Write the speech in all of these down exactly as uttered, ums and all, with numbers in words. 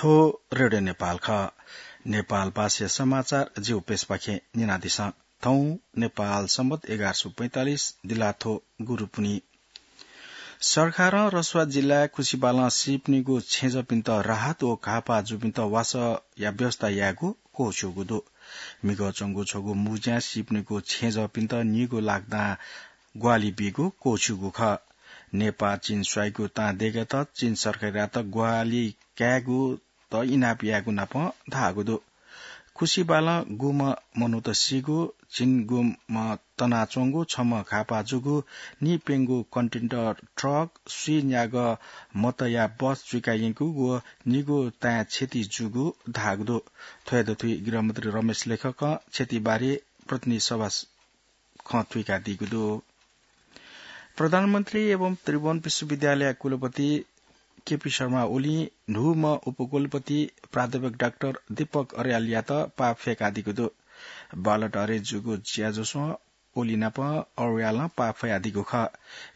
थ्व रेडियो नेपाल खः। नेपाल भाषा समाचार जिगु पेजपाखें न्यनादिसँ। थौं नेपाल सम्बत एघार सय पैंतालिस दिलाथ्व गुरुपुन्हि। सरकारं रसुवा जिल्ला खुसिबालं सीपिनिगु छेँजःपिन्त राहत व घाःपाः जूपिन्त वासःया व्यवस्था यायेगु क्वःछिउगु दु। म्हिगः च्वंगु छगू मुँज्यां सीपिनिगु छेँजःपिन्त नीगू लाख दां ग्वाहालि बीगु क्वःछिउगु खः। नेपाः चीन स्वाइगु तां देकेत चीन सरकारयात ग्वाहालि कायेगुत इनाप यायेगु नापं धाःगु दु। खुसिबालं गुम्ह मनूत सीगु, झिंगुम्ह तनाच्वंगु, छम्ह घाःपाः जूगु, नीप्यंगू कन्टेनर ट्रक, स्वीन्यागः मतया बस चुइका यंकूगु व नीगू ताँय् क्षति जूगु धाःगु दु। थ्व हे दथुइ गृहमन्त्री रमेश लेखकं क्षतिबारे प्रतिनिधि सभा खँ थुइकादीगु दु। प्रधानमन्त्री एवं त्रिभुवन विश्वविद्यालय कुलपति केपी शर्मा ओलीं न्हूम्ह उपकुलपति प्राध्यापक डाक्टर दीपक अर्यालयात पाः फ्यकादीगु दु। बालट हरे जूगु ज्याझ्वलय् ओली नाप अर्यालं पाः फ्वयादीगु खः।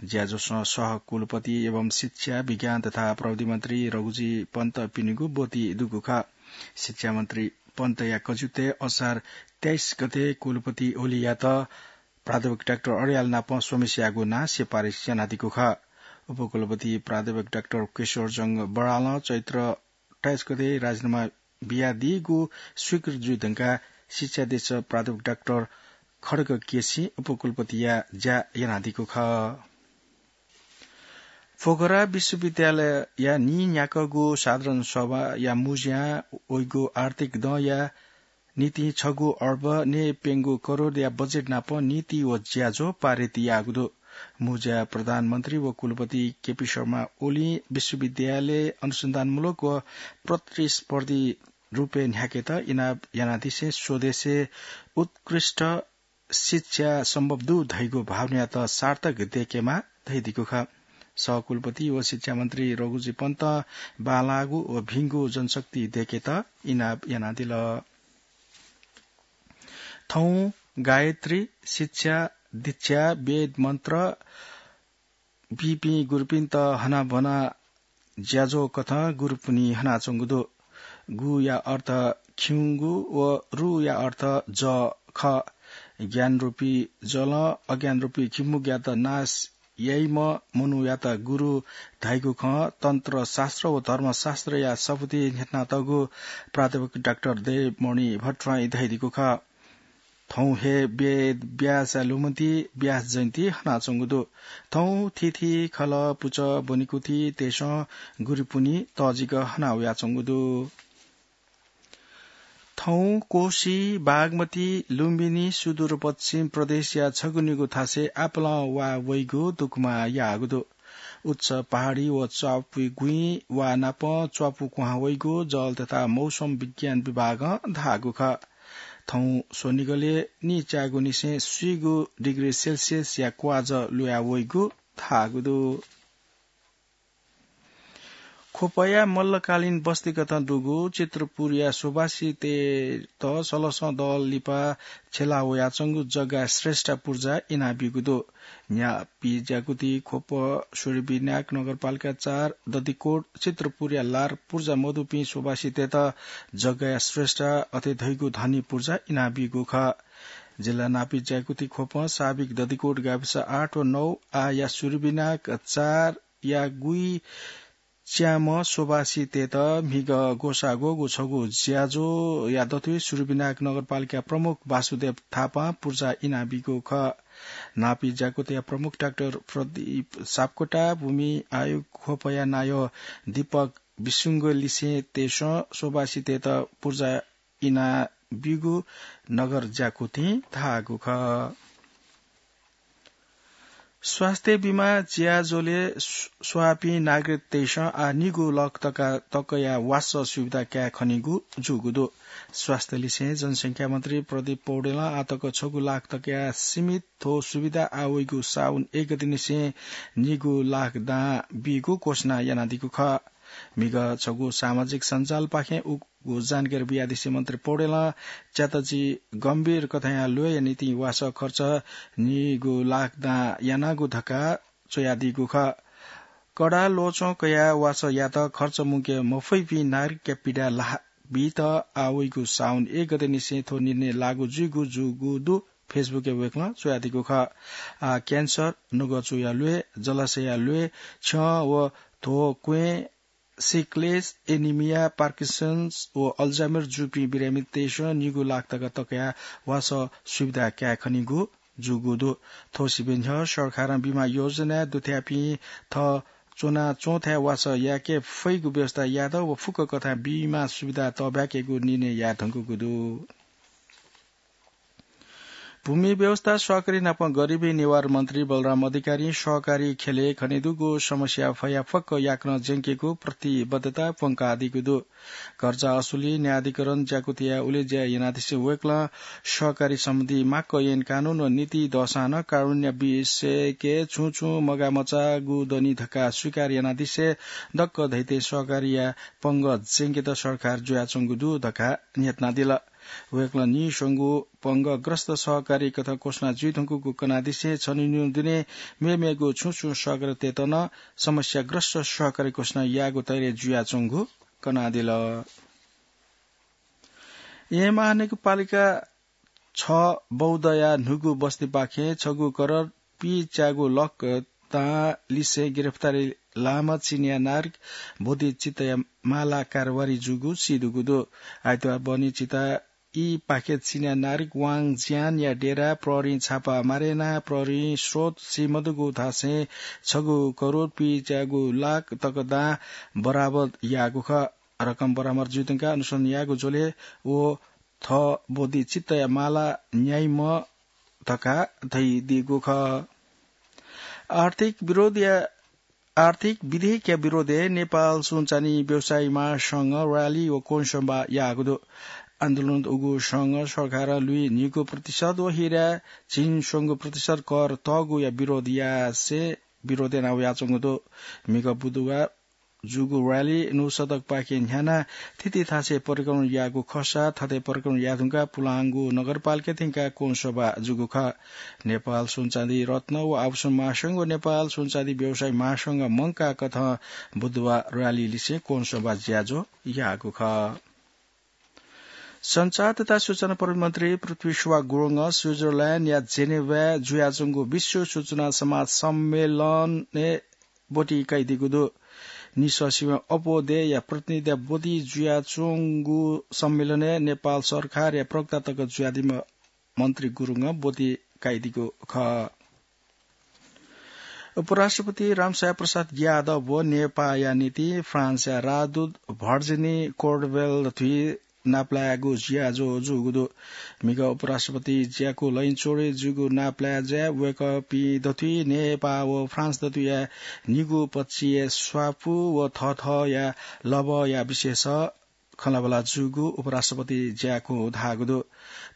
ज्याझ्वलय् सह कुलपति एवं शिक्षा, विज्ञान तथा प्रविधि मन्त्री रघुजी पन्तपिनिगु ब्वति दुगु खः। शिक्षा मन्त्री पन्तया कजिउतय् असार तेइस गते कुलपति ओलीयात प्राध्यापक डाक्टर अर्याल नाप स्वम्हेस्याःगु नां सिफारिस यानादीगु खः। उपकुलपति प्राध्यापक डाक्टर किशोरजंग बरालं चैत्र अट्ठाइस गते राजीनामा बियादीगु स्वीकृत जुइ धुंकाः शिक्षा अधीक्षक प्राध्यापक डाक्टर खड्ग केसीं उपकुलपतिया ज्या यानादीगु खः। पोखरा विश्वविद्यालयया नीन्याक्वःगु साधारण सभाया मुँज्यां वइगु आर्थिक दँया निंतिं छगू अर्ब नीप्यंगू करोडया बजेट नाप नीति व ज्याझ्वः पारित याःगु दु। मुँज्यां प्रधानमन्त्री व कुलपति केपी शर्मा ओलीं विश्वविद्यालय अनुसन्धानमूलक व प्रतिस्पर्धी रूपय् न्ह्याकेत इनाप यानादिसें स्वदेशय् उत्कृष्ट शिक्षा सम्भव दु धइगु भावनायात सार्थक देकेमा धइदीगु खः। सहकुलपति व शिक्षा मन्त्री रघुजी पन्तं बांलाःगु व भिंगु जनशक्ति देकेत इनाप यानादिल। थौं गायत्री, शिक्षा, दीक्षा, वेद मन्त्र बीपिं गुरुपिन्त हनाबना ज्याझ्वः कथं गुरुपुन्हि हनाच्वंगु दु। गुया अर्थ खिउँगु व रुया अर्थ जः खः। ज्ञानरूपी जलं अज्ञानरूपी खिमुग्यात नाश याइम्ह मनूयात गुरु धाइगु खँ तन्त्र शास्त्र व धर्मशास्त्रया सफुती न्ह्यथनातःगु प्राध्यापक डाक्टर देवमणि भट्टराईं धयादीगु खः। थौं हे वेद व्यासया लुमन्ति व्यास जयन्ती हनाच्वंगु दु। थौं थीथी खलः पुचः ब्वनेकुथितय्सं गुरुपुन्हि तःजिक हना वयाच्वंगु दु। थौं कोशी, बागमती, लुम्बिनी सुदूरपश्चिम प्रदेशया छगू निगू थासय् आपालं वा वइगु दुकुमा याःगु दु। उच्च पहाडी व च्वापुइ गुँइ वा नाप च्वापु क्वहां वइगु जल तथा मौसम विज्ञान विभागं धाःगु खः। थौं स्वनिगलय् निचाय्गुनिसें स्वीगू डिग्री सेल्सियसया क्वाजः लुया वइगु धाःगु दु। ख्वपया मल्लकालीन बस्तीकथं दुगु चित्रपुरया सुभाषितय्त सलसं दल लिपा छ्यला वयाच्वंगु जग्गा श्रेष्ठ पुर्जा इनाबीगु दु। न्यापी ज्याकुथि ख्वप, सूर्यविनायक नगरपालिका चार, दधिकोट, चित्रपुरया लार पुर्जा मदुपिं सुभाषितय्त जग्गाया श्रेष्ठ अथे धइगु धनी पुर्जा इनाबीगु खः। जिल्ला नापी ज्याकुथि ख्वपं साबिक दधिकोट गाविस आठ व नौ आःया सूर्यविनायक चार या गुइ च्याम्ह सुभाषितय्त म्हिगः ग्वसाः ग्वःगु छगू ज्याझ्वःया दथुइ सूर्यविनायक नगरपालिका प्रमुख वासुदेव थापां पुर्जा इनाबीगु खः। नापी ज्याकुथया प्रमुख डाक्टर प्रदीप सापकोटा, भूमि आयोग ख्वपया नायः दीपक विसुंगलिसें तय्सं सुभाषितय्त पुर्जा इनाबीगु नगर ज्याकुथिं धाःगु खः। स्वास्थ्य बिमा ज्याझ्वलय् स्व-, स्वाःपिं नागरिकतय्सं आः निगू लाख तका तकया वासः सुविधा काये खनीगु जूगु दु। स्वास्थ्य लिसें जनसंख्या मन्त्री प्रदीप पौडेलं आःतक छगू लाख तकया सीमित थ्व सुविधा आः वइगु साउन एक गतेनिसें निगू लाख दां बीगु घोषणा यानादीगु खः। म्हिगः छगू सामाजिक सञ्जालपाखें उगु जानकारी बियादिसें मन्त्री पौडेलं च्याताजी गम्भीर कथंया ल्वय्या निंतिं वासः खर्च निगू लाख दां यानागु धकाः च्वयादीगु खः। कडा ल्वचं कयाः वासः यात खर्च मुंके मफइपिं नागरिकया पीडा लाः बीत आः वइगु साउन एक गते निसें थ्व निर्णय लागू जुइगु जूगु दु। Facebook-य् वय्कलं च्वयादीगु खः। आः क्यान्सर, नुगःचुया ल्वय्, जलाशयया ल्वय्, छ्यं व ध्वक्वें, सिकलेस, एनिमिया, पार्किन्सन्स व अल्जाइमर जूपिं बिरामीतय्सं निगू लाख तका तकया वासः सुविधा काये खनीगु जूगु दु। थ्व सिबें न्ह्यः सरकारं बीमा योजनाय् दुथ्याःपिं थः च्वनाच्वंथाय् वासः याके फइगु व्यवस्था यात व फुक्क कथां बीमा सुविधा तःब्याकेगु निर्णय याये धुंकूगु दु। भूमि व्यवस्था सहकारी नाप गरिबी निवार मन्त्री बलराम अधिकारीं सहकारी ख्यलय् खनेदुगु समस्या फयाफक्क याकनं ज्यंकेगु प्रतिबद्धता प्वंकादीगु दु। कर्जा असुली, न्यायाधिकरण ज्याकुथिया उलेज्या यानादिसें वय्कलं सहकारी सम्बन्धी माक्क ऐन कानून व नीति दःसां नं कारुण्य विषयके छुं छुं मगामचाःगु दनि धकाः स्वीकार यानादिसें दक्क धइथें सहकारीया पंगः ज्यंकेत सरकार जुयाच्वंगु दु धकाः न्ह्यथनादिल। वय्कलं नीस्वंगू पंगःग्रस्त सहकारी कथं घोषणा जुइधुंकूगु कनादिसें छन्हु निन्हु दुने मेमेगु छुं छुं सहकारीतय्त नं समस्याग्रस्त सहकारी घोषणा याःगु तयरय् जुयाच्वंगु कनादिल। येँ महानगरपालिका छ बौद्धया न्हूगु बस्तीपाखें छगू करोड पीच्यागू लाख दां लिसें गिरफ्तारी लाःम्ह चिनियाँ नागरिक बोधिचित्तया माला कारोबारी जूगु सीदुगु दु। आइतबार बहनी चिता ई पाखे चिनियाँ नागरिक वाङ ज्यानया डेरा प्रहरीं छापा मारे यानाः प्रहरीं स्रोत सीमदुगु धासें छगू करोड पीच्यागू लाख तक दां बरामद याःगु खः। रकम बरामद जुइधुंकाः अनुसन्धान याःगु झ्वलय् व थः बोधिचित्तया माला न्याइम्ह धकाः धइदीगु खः। आर्थिक विरोधया, आर्थिक विधेयकया विरोधय् नेपाल सुनचाँदी व्यवसायी महासंघं र्‍याली व कोणसभा याःगु दु। आन्दोलनय् उगु संघं सरकारं लुइ न्हिगू प्रतिशत व हिरा झिंस्वंगू प्रतिशत कर तःगुया विरोध यासें विरोध याना वयाच्वंगु दु। म्हिगः बुधबार जूगु र्‍याली न्हू सडकपाखे न्ह्यानाः थीथी थासय् परिक्रमण याःगु खःसा थथे परिक्रमण यायेधुंकाः पुलांगु नगरपालिका थ्यंकाः कोणसभा जूगु खः। नेपाल सुनचाँदी रत्न व आभूषण महासंघ व नेपाल सुनचाँदी व्यवसायी महासंघं मंकाः कथं बुधबार र्‍याली लिसें कोणसभा ज्याझ्वः याःगु खः। सञ्चार तथा सूचना प्रविधि मन्त्री पृथ्वी सुवास गुरुङं स्विजरल्याण्डया जेनेभाय् जुयाच्वंगु विश्व सूचना समाज सम्मेलनय् ब्वति कयादीगु दु। निसः सिबें अप्वः देय्‌या प्रतिनिधिया ब्वति जुयाच्वंगु सम्मेलनय् नेपाल सरकारया प्रवक्ता तक जुयादीम्ह मन्त्री गुरुङं ब्वति कयादीगु खः। उपराष्ट्रपति रामसाय प्रसाद यादव व नेपाःया निंतिं फ्रान्सया राजदूत भर्जिनी कोर्डवेल थुइ नापलायेगु ज्याझ्वः जूगु दु। म्हिगः उपराष्ट्रपति ज्याकू लँय् च्वंगु नापलाये ज्याय् वय्‌कःपिं दथुइ नेपाः व फ्रान्स दथुइया निगू पक्षीय स्वापू व थःथःया लभया विषयय् खँल्हाबल्हा जूगु उपराष्ट्रपति ज्याकूं धाःगु दु।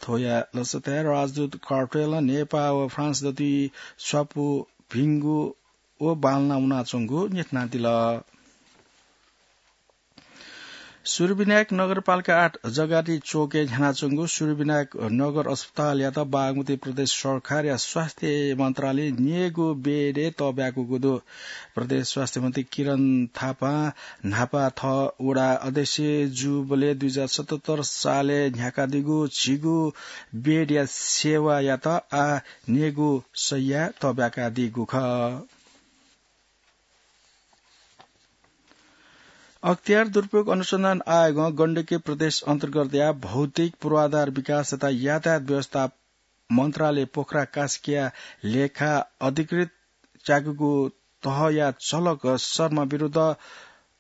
थ्वया लसताय् राजदूत कोर्डवेलं नेपाः व फ्रान्स दथुइ स्वापू भिंगु व बांलाना वनाच्वंगु न्ह्यथनादिल। सूर्यविनायक नगरपालिका आठ जगाती चोकय् न्ह्यानाच्वंगु सूर्यविनायक नगर अस्पतालयात बागमती प्रदेश सरकारया स्वास्थ्य मन्त्रालयं न्यय्‌गू बेडय् तःब्याकूगु दु। प्रदेश स्वास्थ्य मन्त्री किरण थापां न्हापा थः वडा अध्यक्ष जूबलय् दुई हजार सतहत्तर सालय् न्ह्याकादीगु झिगू बेडया सेवायात आः न्यय्‌गू शय्या तःब्याकादीगु खः। अख्तियार दुरुपयोग अनुसन्धान आयोगं गण्डकी प्रदेश अन्तर्गतया भौतिक पूर्वाधार विकास तथा यातायात व्यवस्था मन्त्रालय पोखरा कास्कीया लेखा अधिकृत च्याकूगु तहया झलक शर्मा विरुद्ध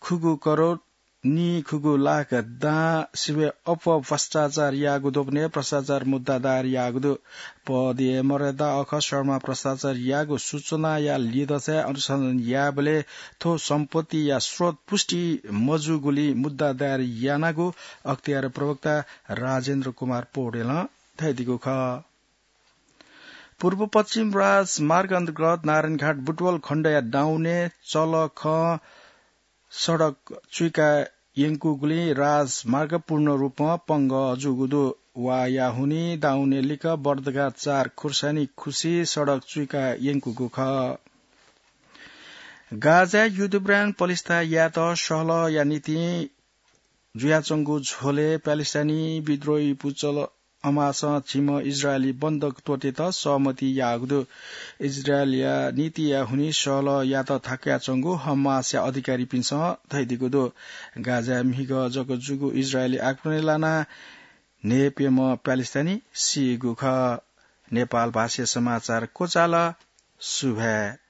खुगू करोड नीखुगू लाख दां सिबें अप्वः भ्रष्टाचार याःगु द्वपनय् भ्रष्टाचार मुद्दा दायर याःगु दु। पदया मर्यादा अःखः शर्मा भ्रष्टाचार याःगु सूचनाया लिधंसाय् अनुसन्धान याःबलय् थ्व सम्पत्तिया स्रोत पुष्टि मजूगुलिं मुद्दा दायर यानागु अख्तियार प्रवक्ता राजेन्द्र कुमार पौडेलं धयादीगु खः। पूर्व पश्चिम राजमार्ग अन्तर्गत नारायणघाट बुटवल खण्डया डाउने चलखं सडक चुइका यंकूगुलिं राजमार्ग पूर्ण रूपं पंगः जूगु दु। वाया हुनिं डाउने लिक्क बर्दघाट चार खुर्सानी खुसी सडक चुइका यंकूगु खः। गाजाय् युद्धविराम पलिस्था यायेत सहलहया निंतिं जुयाच्वंगु झ्वलय् प्यालेस्टाइनी विद्रोही पुचल हमासं झिम्ह इजरायली बन्धक त्वःतेत सहमति याःगु दु। इजरायलया नीतिया हुनिं सहलह यायेत थाकुयाच्वंगु हमासया अधिकारीपिन्सं धयादीगु दु। गाजाय् म्हिगः जक जूगु इजरायली आक्रमणय् लानाः न्हय्प्यम्ह प्यालेस्टाइनी सीगु खः। नेपाल भाषाया समाचार क्वचाल। सुभाय्।